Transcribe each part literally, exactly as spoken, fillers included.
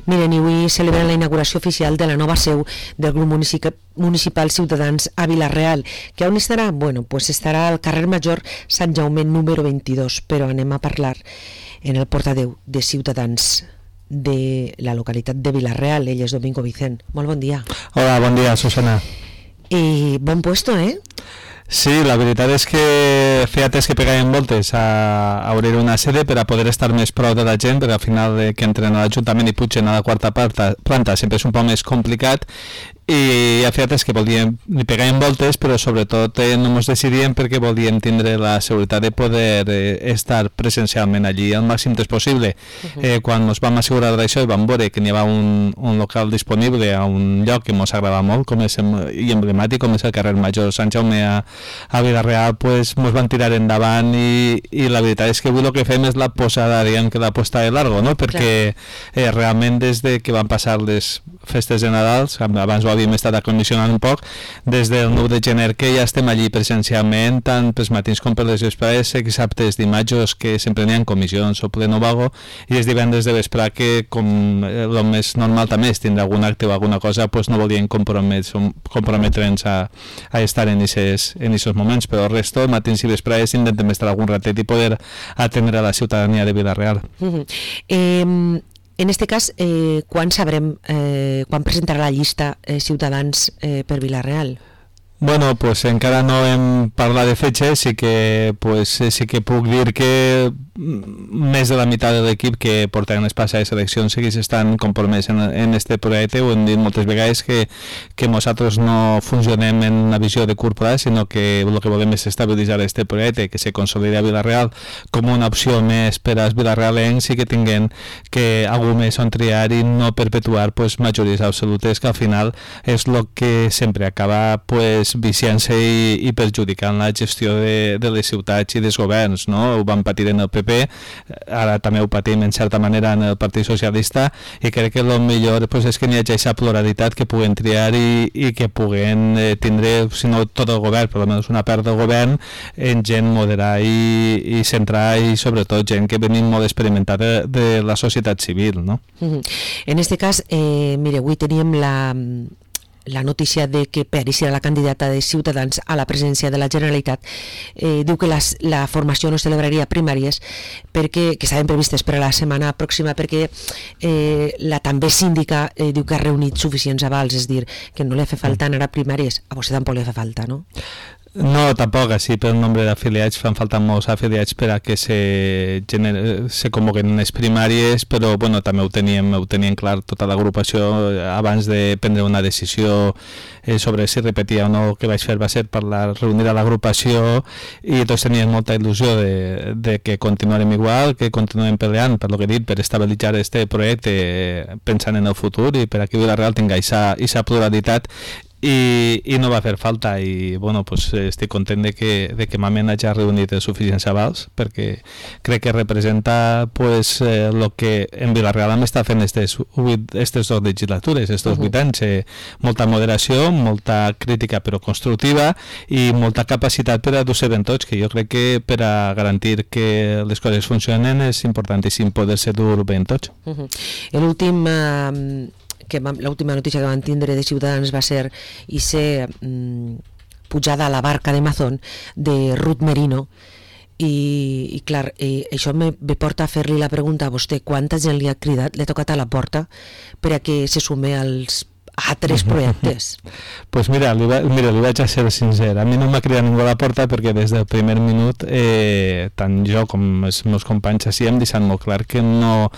Miren, i avui celebren la inauguració oficial de la nova seu del grup municipal Ciutadans a Vila-real, que on estarà? Bueno, pues estarà al carrer Major Sant Jaume número vint-i-dos, però anem a parlar en el portaveu de Ciutadans de la localitat de Vila-real. Ell és Domingo Vicent. Molt bon dia. Hola, bon dia, Susana. I bon puesto, eh? Sí, la veritat és que feia temps que pegàvem voltes a, a obrir una sede per a poder estar més prou de la gent, perquè al final eh, que entren a l'Ajuntament i pugen a la quarta planta, planta sempre és un poc més complicat, i ja feia temps que volíem, li pegàvem voltes, però sobretot eh, no ens decidíem perquè volíem tindre la seguretat de poder eh, estar presencialment allí el màxim temps possible. Uh-huh. eh, quan ens vam assegurar d'això i vam veure que n'hi havia un, un local disponible a un lloc que ens agradava molt, com és i emblemàtic, com és el carrer Major Sant Jaume a, a Vila-real, pues ens van tirar endavant i, i la veritat és que avui el que fem és la posada, diguem que la posta de largo, no? Perquè eh, realment des de que van passar les festes de Nadal, abans ho havíem estat acondicionant un poc, des del nou de gener que ja estem allí presencialment, tant pels matins com per les vespres, dissabtes, dimarts, que sempre n'hi ha comissions o pleno vago, i els divendres de vespre que, com el més normal també és tindre algun acte o alguna cosa, pues no volien comprometre'ns a, a estar en aquests moments, però el resto, matins i vespres, intentem estar algun ratet i poder atendre a la ciutadania de Vila-real. Uh-huh. eh, En este cas, eh, quan sabrem, eh, quan presentarà la llista eh, Ciutadans eh, per Vila-real? Bueno, pues encara no hem parlat de fetges, sí que, pues, sí que puc dir que més de la meitat de l'equip que porten les passades eleccions sí que estan compromès en, en este projecte. Ho hem dit moltes vegades que, que nosaltres no funcionem en una visió de curt plaç, sinó que el que volem és estabilitzar este projecte, que se consolidi a Vila-real com una opció més per als vilarealencs i que tinguin que algú més on triar i no perpetuar pues, majories absolutes, que al final és el que sempre acaba pues, viciant-se i, i perjudicant la gestió de, de les ciutats i dels governs, no? Ho vam patir en el P P, ara també ho patim en certa manera en el Partit Socialista, i crec que el millor pues, és que n'hi hagi aquesta pluralitat, que puguen triar i, i que puguen eh, tindre, si no tot el govern, però almenys una part del govern, en gent moderada i, i centrada, i sobretot gent que venim molt experimentada de, de la societat civil, no? Uh-huh. En este cas, eh, mire, avui teníem la... la notícia de que Peri serà la candidata de Ciutadans a la presidència de la Generalitat. Eh, diu que les, la formació no celebraria primàries perquè, que estaven previstes per a la setmana pròxima, perquè eh, la també síndica eh, diu que ha reunit suficients avals, és dir, que no li fa falta anar a primàries. A vostè tampoc li fa falta, no? No, tampoc, així per el nombre d'afiliats fan falta molts afiliats per a que se, gener... se convoquen les primàries, però bueno, també ho teníem, ho teníem clar tota l'agrupació abans de prendre una decisió eh, sobre si repetia o no. El que vaig fer va ser parlar, reunir a l'agrupació, i tots tenien molta il·lusió de, de que continuarem igual, que continuem peleant, per lo que he dit, per estabilitzar este projecte pensant en el futur i per a que Vila-real tingui aquesta pluralitat. I, i no va fer falta, i bueno, pues, estic content de que, de que Mamen hagi reunit els suficients avals, perquè crec que representa pues, eh, lo que en Vila-real hem estat fent aquestes dues legislatures, estos vuit anys, eh, molta moderació, molta crítica però constructiva, i molta capacitat per a dur-se ben tots, que jo crec que per a garantir que les coses funcionen és importantíssim poder-se dur ben tots. Uh-huh. L'últim... Uh... que l'última notícia que van tindre de Ciutadans va ser i ser mm, pujada a la barca de Mazón de Ruth Merino, i, i clar, i això me, me porta a fer-li la pregunta a vostè: quanta gent li ha cridat, li ha tocat a la porta per a que se sume als a tres projectes? Pues mira, li, va, mira, li vaig a ser sincer, a mi no m'ha cridat ningú a la porta, perquè des del primer minut eh, tant jo com els meus companys així hem deixat molt clar que no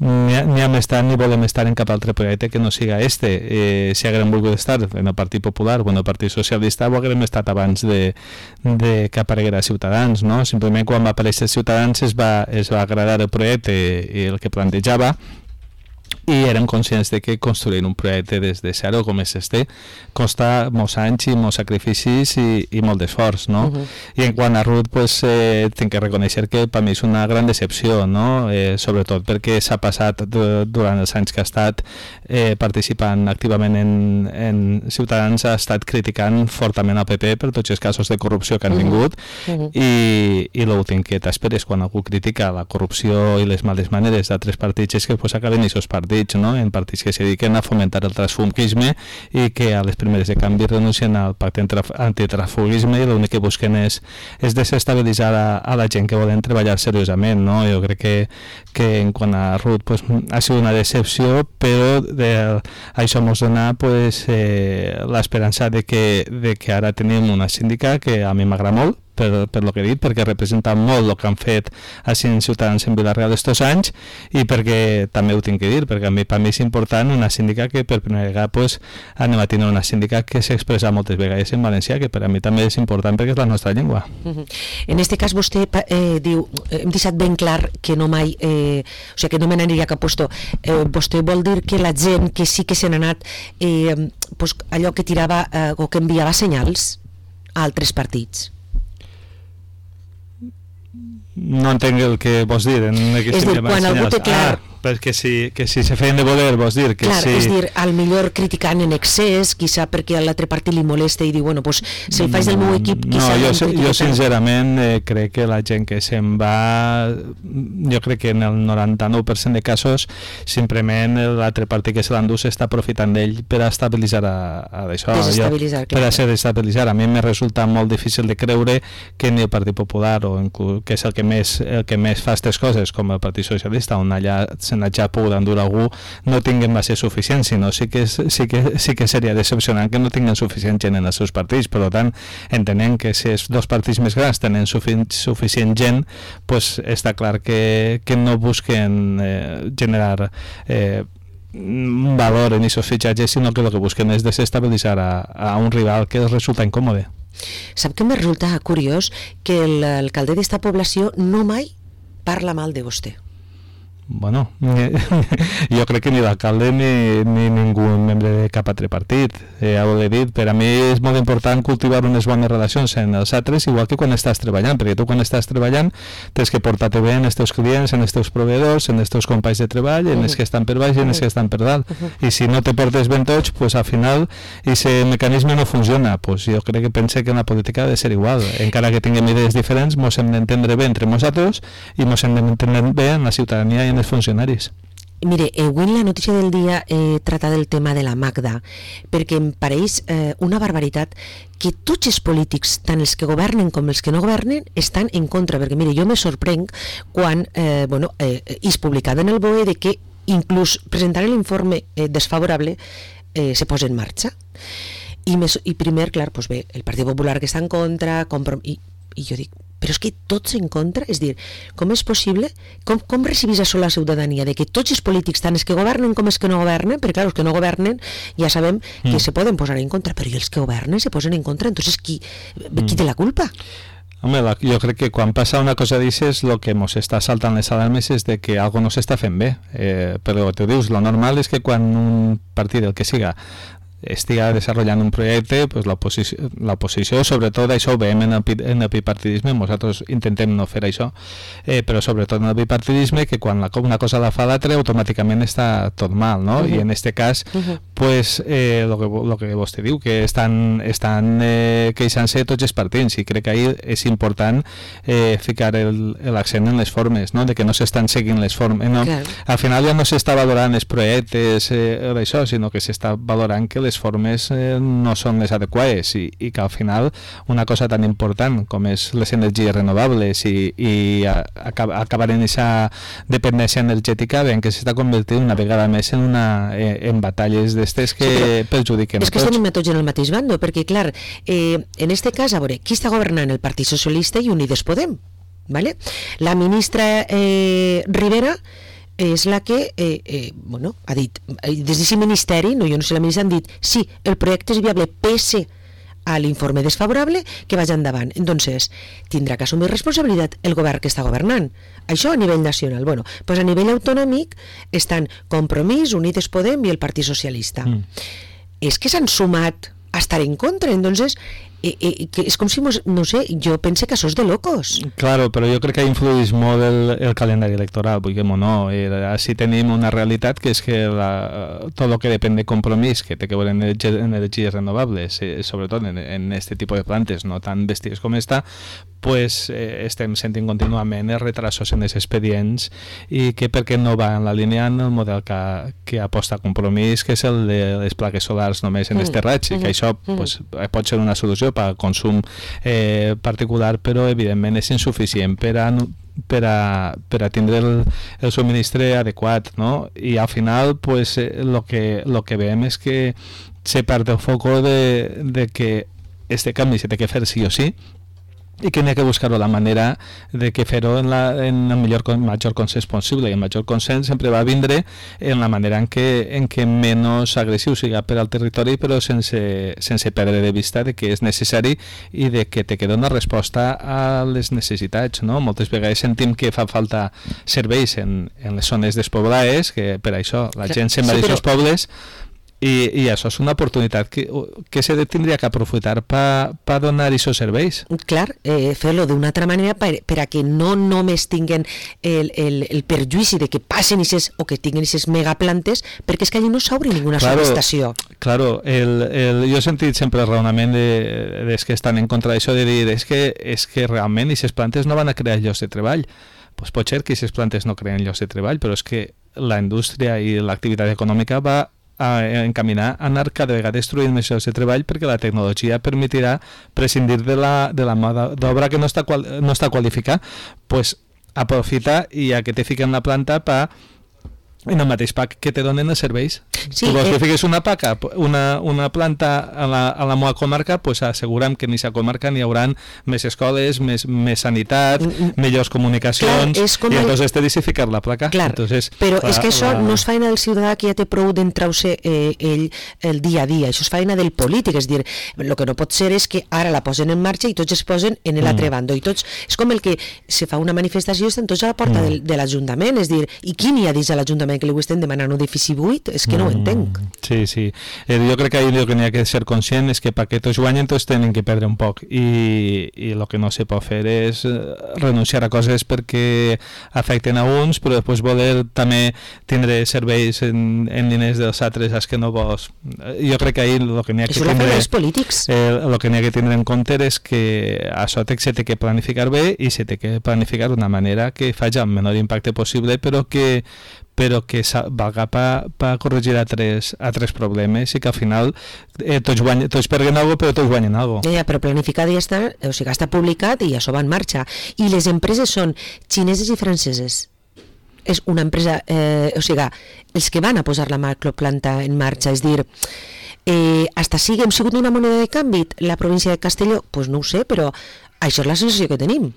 ni, ni hem estat ni volem estar en cap altre projecte que no siga este. Eh, si haguem volgut estar en el Partit Popular o en el Partit Socialista, ho haguem estat abans de, de que apareguera Ciutadans, no? Simplement quan va aparèixer Ciutadans es va, es va agradar el projecte i el que plantejava, i érem conscients de que construir un projecte des de zero com és este costa molts anys i molts sacrificis i, i molt d'esforç, no? Uh -huh. I en quant a Ruth, pues, eh, tinc que reconèixer que per mi és una gran decepció, no? Eh, sobretot perquè s'ha passat durant els anys que ha estat eh, participant activament en, en Ciutadans, ha estat criticant fortament el P P per tots els casos de corrupció que han vingut uh -huh. i, i l'últim que t'esperes quan algú critica la corrupció i les males maneres d'altres partits és que pues, acaben aquests partits, no? En partits que se dediquen a fomentar el transfugisme i que a les primeres de canvi renuncien al pacte antitransfugisme i l'únic que busquen és, és desestabilitzar a, a la gent que volen treballar seriosament, no? Jo crec que, que en quant a Ruth pues, ha sigut una decepció, però de, això ens dona pues, eh, l'esperança de que, de que ara tenim una síndica que a mi m'agrada molt, per, per lo que he dit, perquè representa molt el que han fet així en Ciutadans en Vila-real estos anys i perquè també ho tinc que dir, perquè a mi, per mi és important una síndica que per primera vegada pues, anem a tenir una síndica que s'expressa moltes vegades en valencià, que per a mi també és important perquè és la nostra llengua. Uh-huh. En este cas vostè eh, diu, hem deixat ben clar que no mai, eh, o sigui que no me n'aniria cap puesto, eh, vostè vol dir que la gent que sí que se n'ha anat eh, pues, allò que tirava eh, o que enviava senyals a altres partits? No entenc el que vols dir en és dir, quan algú té clar ah, perquè si, que si se feien de voler vols dir que clar, si... és dir, al millor criticant en excés quizà perquè a l'altre partit li molesta i diu, bueno, pues, si el faig del meu equip quizà no, jo, jo sincerament eh, crec que la gent que se'n va jo crec que en el noranta-nou per cent de casos simplement l'altre partit que se l'endú s'està aprofitant d'ell per a estabilitzar a, a això, desestabilitzar, jo, per a ser desestabilitzar. A mi me resulta molt difícil de creure que ni el Partit Popular o que és el que més, el que més fa aquestes coses com el Partit Socialista on allà se n'ha ja pogut endur algú no tinguin base suficient, sinó sí que, sí que, sí que seria decepcionant que no tinguin suficient gent en els seus partits. Per tant, entenent que si els dos partits més grans tenen sufi suficient gent, pues està clar que, que no busquen eh, generar eh, un valor en aquests fitxatges, sinó que el que busquen és desestabilitzar a, a un rival que els resulta incòmode. Sap que me resulta curiós que l'alcalde d'esta població no mai parla mal de vostè. Bueno, jo crec que ni l'alcalde ni, ni ningú membre de cap altre partit. Eh, ja ho he dit, per a mi és molt important cultivar unes bones relacions en els altres, igual que quan estàs treballant, perquè tu quan estàs treballant tens que portar-te bé en els teus clients, en els teus proveïdors, en els teus companys de treball, en els que estan per baix i en els que estan per dalt. I si no te portes ben tots, pues al final aquest mecanisme no funciona. Pues jo crec que pense que en la política ha de ser igual. Encara que tinguem idees diferents, ens hem d'entendre bé entre nosaltres i ens hem d'entendre bé en la ciutadania i en els funcionaris. Mire, avui en la notícia del dia eh, trata del tema de la Magda, perquè em pareix eh, una barbaritat que tots els polítics, tant els que governen com els que no governen, estan en contra, perquè mire, jo me sorprenc quan eh, bueno, eh, és publicat en el B O E de que inclús presentar l'informe eh, desfavorable eh, se posa en marxa. I, mes, i primer, clar, doncs bé, el Partit Popular que està en contra, i, i jo dic, però és que tots en contra, és dir, com és possible, com, com recibís això la ciutadania, de que tots els polítics, tant els que governen com els que no governen, perquè clar, els que no governen ja sabem que mm. se poden posar en contra, però els que governen se posen en contra, entonces qui, mm. qui té la culpa? Home, la, jo crec que quan passa una cosa d'aixes, el que ens està saltant les alarmes és de que algo no s'està fent bé, eh, però tu dius, lo normal és que quan un partit, el que siga, estiga desenvolupant un projecte, pues l'oposició, sobretot això ho veiem en el, en el bipartidisme, nosaltres intentem no fer això, eh, però sobretot en el bipartidisme, que quan la, una cosa la fa l'altra automàticament està tot mal, no? Uh -huh. I en aquest cas, uh -huh. pues, eh, lo, que, lo que vostè diu, que estan, estan eh, queixant-se tots els partits, i crec que ahir és important eh, ficar l'accent en les formes, no? De que no s'estan seguint les formes, no? Okay. Al final ja no s'està valorant els projectes eh, d'això, sinó que s'està valorant que les formes eh, no són les adequades i, i que al final una cosa tan important com és les energies renovables i, i a, a, acabar en aquesta dependència energètica veiem que s'està convertint una vegada més en, una, eh, en batalles d'estes que sí, perjudiquen és que estem tots en el mateix bando, perquè clar, eh, en este cas, a veure, qui està governant? El Partit Socialista i Unides Podem, ¿vale? La ministra eh, Rivera és la que eh, eh, bueno, ha dit, des d'aquest ministeri, no, jo no sé, la ministra han dit, sí, el projecte és viable pese a l'informe desfavorable, que vagi endavant. Entonces, tindrà que assumir responsabilitat el govern que està governant. Això a nivell nacional. Bueno, pues a nivell autonòmic estan Compromís, Unides Podem i el Partit Socialista. Mm. És que s'han sumat a estar en contra, entonces eh, eh, que és com si, mos, no sé, jo pense que això és de locos. Claro, però jo crec que influeix molt el, el calendari electoral, vulguem o no. Eh, així tenim una realitat que és que la, tot el que depèn de Compromís, que té que veure en energies renovables, eh, sobretot en, en este tipus de plantes, no tan bèsties com esta, pues eh, estem sentint contínuament els retrasos en els expedients i que perquè no va en la línia en el model que, que aposta Compromís, que és el de les plaques solars només en mm. esterratge, i que això pues, pot ser una solució per a consum eh, particular, però evidentment és insuficient per a per a, per a tindre el, el subministre adequat, no? I al final pues, eh, lo que, lo que veiem és que se perd el foco de, de que este canvi se té que fer sí o sí, i que n'hi ha que buscar la manera de que fer-ho en, la, en el millor, major consens possible, i el major consens sempre va vindre en la manera en què, en què menys agressiu siga per al territori, però sense, sense perdre de vista de que és necessari i de que te queda una resposta a les necessitats, no? Moltes vegades sentim que fa falta serveis en, en les zones despoblades, que per això la gent se'n va sí, d'aquests però... pobles. I, i això és una oportunitat que, que se tindria que aprofitar per pa donar aquests serveis. Clar, eh, fer-lo d'una altra manera per, per a que no només tinguen el, el, el perjuïci de que passen ixes, o que tinguen aquestes megaplantes, perquè és que allà no s'obre ninguna claro, subestació. Claro, el, el, jo he sentit sempre el raonament de, de que estan en contra d'això, de dir és que, és que realment aquestes plantes no van a crear llocs de treball. Pues pot ser que aquestes plantes no creen llocs de treball, però és que la indústria i l'activitat econòmica va a encaminar a anar cada vegada destruint més llocs de treball, perquè la tecnologia permetirà prescindir de la, de la mà d'obra que no està, qual, no està qualificada, pues aprofita i a que te fiquen la planta per en el mateix pack que te donen els serveis. Sí, tu vols eh... que fiquis una paca, una, una planta a la, a la meva comarca, pues assegurem que en aquesta comarca n'hi haurà més escoles, més, més sanitat, mm, millors comunicacions, clar, i el... entonces te deixa ficar la placa. Clar, entonces, però la, és que això la... no és feina del ciutadà que ja té prou d'entrar-se eh, ell el dia a dia, això és feina del polític, és dir, el que no pot ser és que ara la posen en marxa i tots es posen en l'altre mm. bando, i tots, és com el que se fa una manifestació i estan tots a la porta mm. del, de l'Ajuntament, és dir, i qui n'hi ha dins de l'Ajuntament que li estem demanant un edifici buit? És que no ho entenc. Sí, sí. Eh, jo crec que ahir el que n'hi ha que ser conscient és que perquè tots guanyen tots tenen que perdre un poc, i, i el que no se pot fer és renunciar a coses perquè afecten a uns, però després voler també tindre serveis en, en diners dels altres als que no vols. Jo crec que ahir el que n'hi ha que tindre els polítics. Eh, el que n'hi ha que tindre en compte és que això se té que planificar bé i se té que planificar d'una manera que faci el menor impacte possible, però que però que valga per pa corregir altres, altres problemes i que al final eh, tots, guanyen, tots perden alguna cosa, però tots guanyen alguna cosa. Ja, però planificat ja està, o sigui, està publicat i això va en marxa. I les empreses són xineses i franceses. És una empresa, eh, o sigui, els que van a posar la macroplanta en marxa, és dir, eh, hasta sigui hem sigut una moneda de canvi la província de Castelló, doncs pues no ho sé, però això és la sensació que tenim.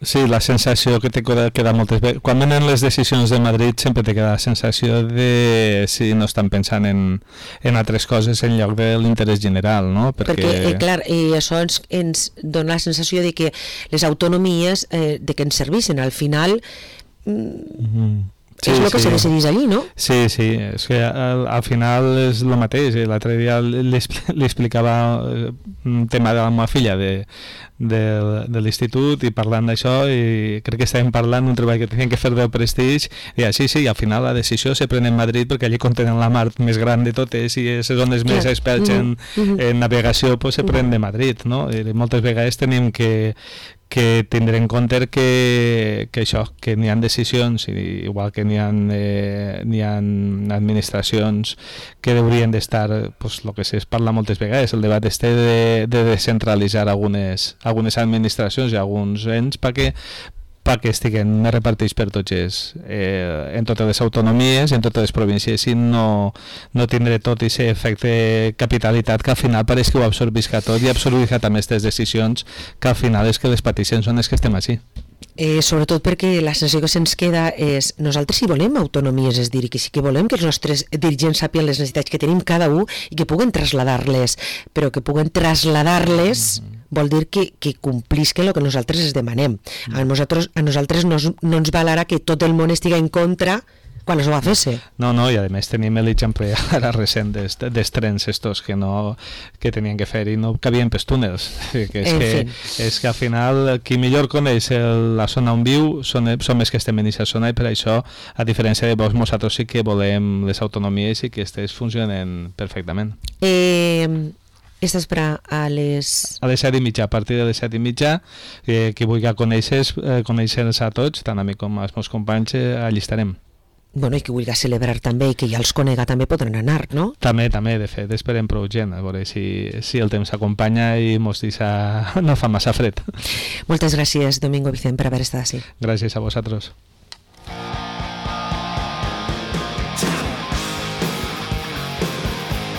Sí, la sensació que te queda moltes vegades. Quan venen les decisions de Madrid sempre te queda la sensació de si no estan pensant en, en altres coses en lloc de l'interès general, no? Perquè, Perquè eh, clar, eh, això ens, ens dona la sensació de que les autonomies eh, de que ens servissin al final mm, mm-hmm. Sí, és el que sí. se decidís allí, no? Sí, sí, és que al, al final és el mateix. L'altre dia li, li explicava un tema de la meva filla de, de, de l'institut i parlant d'això, i crec que estàvem parlant d'un treball que tenien que fer del prestigi, i sí, sí, al final la decisió se pren en Madrid perquè allí contenen la mar més gran de totes i les zones més experts en, mm-hmm. en navegació pues, se pren de Madrid, no? I moltes vegades tenim que que tindre en compte que, que això, que n'hi ha decisions, igual que n'hi ha, eh, n'hi ha administracions que haurien d'estar, pues, el que es parla moltes vegades, el debat este de, de descentralitzar algunes, algunes administracions i alguns ens perquè perquè estiguen repartits per tots els, eh, en totes les autonomies, en totes les províncies, i no, no tindre tot aquest efecte capitalitat que al final pareix que ho absorbisca tot i absorbisca també aquestes decisions que al final és que les pateixen són les que estem així. Eh, sobretot perquè la sensació que se'ns queda és nosaltres si volem autonomies, és dir, que sí que volem que els nostres dirigents sàpien les necessitats que tenim cada un i que puguen traslladar-les, però que puguen traslladar-les mm-hmm. vol dir que, que complisquen el que nosaltres es demanem. Mm-hmm. A nosaltres, a nosaltres no, no ens val ara que tot el món estigui en contra quan es va fer-se. No, no, i a més tenim l'exemple ara recent dels, dels trens estos que no que tenien que fer i no cabien pels túnels. Que és, en que, fi. és que al final qui millor coneix el, la zona on viu són, són més que estem en aquesta zona i per això, a diferència de vos, nosaltres sí que volem les autonomies i que aquestes funcionen perfectament. Eh... Estàs per a les... A les set i mitja, a partir de les set i mitja, eh, qui vulgui conèixer, eh, conèixer-nos a tots, tant a mi com als meus companys, eh, allí estarem. Bueno, i qui vulgui celebrar també i que ja els conega també podran anar, no? També, també, de fet, esperem prou gent, a veure si, si el temps acompanya i mos deixa, no fa massa fred. Moltes gràcies, Domingo Vicent, per haver estat així. Gràcies a vosaltres.